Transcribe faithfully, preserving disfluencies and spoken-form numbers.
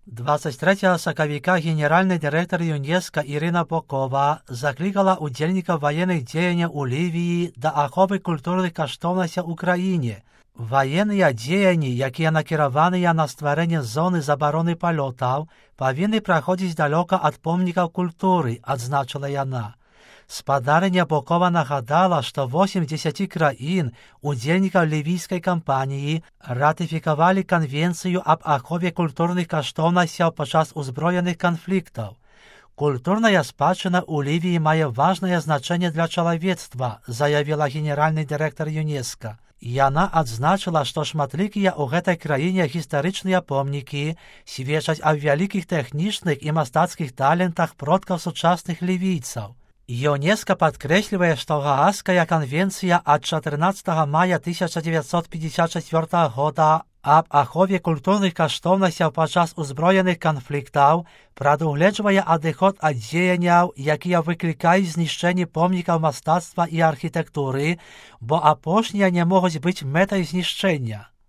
двадцять третього сакавіка генеральний директор ЮНЕСКО Ірина Бокова закликала удільників воєнних діянь у Лівії до ахови культурних коштовностей в Україні. Воєнні діяння, які накеровані на створення зони заборони польотів, повинні проходити далеко від помників культури, відзначила вона. Спадарня Бокова нагадала, що вісім з десяти країн, удільників лівійської кампанії, ратифікували Конвенцію об ахові культурних коштовностей під час узброєних конфліктів. Культурна спадщина у Лівії має важне значення для чоловічства, заявила генеральний директор ЮНЕСКО. І вона відзначила, що шматлікі у гэтай країні історичні помніки свідчать о великих технічних і мистецьких талентах продків сучасних лівійців. ЮНЕСКО підкреслює, що Гаазька конвенція від чотирнадцятого мая тисяча дев'ятсот п'ятдесят четвертого года об ахові культурних коштовностей під час узброєних конфліктів предугледжує відход від діянь, які викликають знищення помників мистецтва і архітектури, бо опошні не можуть бути метою знищення.